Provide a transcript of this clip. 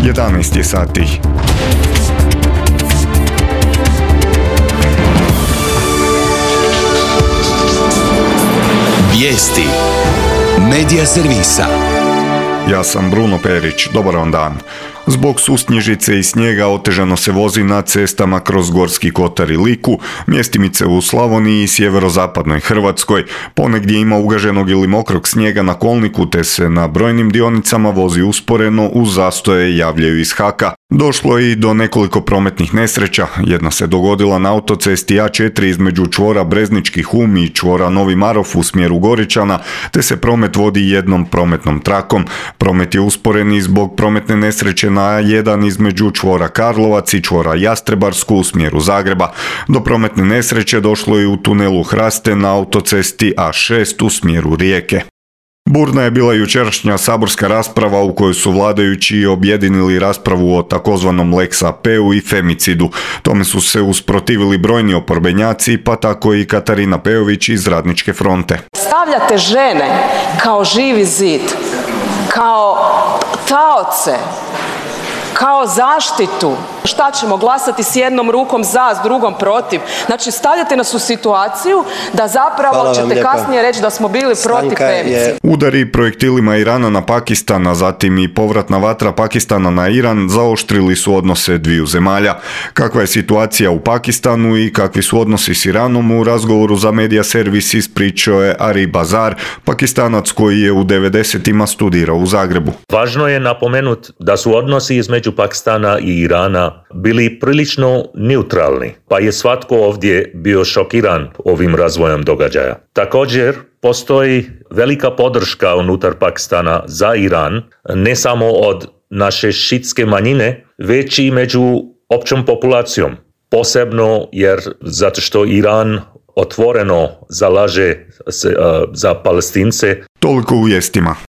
11 je sati. Vijesti Medija servisa. Ja sam Bruno Perić, dobar vam dan. Zbog susnježice i snijega otežano se vozi na cestama kroz Gorski kotar i Liku, mjestimice u Slavoniji i sjeverozapadnoj Hrvatskoj. Ponegdje ima ugaženog ili mokrog snijega na kolniku, te se na brojnim dionicama vozi usporeno, uz zastoje javljaju iz haka. Došlo je i do nekoliko prometnih nesreća. Jedna se dogodila na autocesti A4 između čvora Breznički Hum i čvora Novi Marof u smjeru Goričana, te se promet vodi jednom prometnom trakom. Promet je usporen i zbog prometne nesreće na A1 između čvora Karlovac i čvora Jastrebarsku u smjeru Zagreba. Do prometne nesreće došlo je u tunelu Hraste na autocesti A6 u smjeru Rijeke. Burna je bila jučerašnja saborska rasprava u kojoj su vladajući objedinili raspravu o takozvanom Lex AP-u i femicidu. Tome su se usprotivili brojni oporbenjaci, pa tako i Katarina Pejović iz Radničke fronte. Stavljate žene kao živi zid, kao taoce, kao zaštitu. Šta ćemo glasati s jednom rukom za, s drugom protiv? Znači stavljate nas u situaciju da zapravo ćete kasnije reći da smo bili protiv femicida. Udari projektilima Irana na Pakistan, a zatim i povratna vatra Pakistana na Iran zaoštrili su odnose dviju zemalja. Kakva je situacija u Pakistanu i kakvi su odnosi s Iranom, u razgovoru za Medija servis ispričao je Ari Bazar, Pakistanac koji je u 90-ima studirao u Zagrebu. Važno je napomenuti da su odnosi između Pakistana i Irana bili prilično neutralni, pa je svatko ovdje bio šokiran ovim razvojem događaja. Također, postoji velika podrška unutar Pakistana za Iran, ne samo od naše šitske manjine, već i među općom populacijom. Posebno jer zato što Iran otvoreno zalaže se za Palestince. Toliko u vijestima.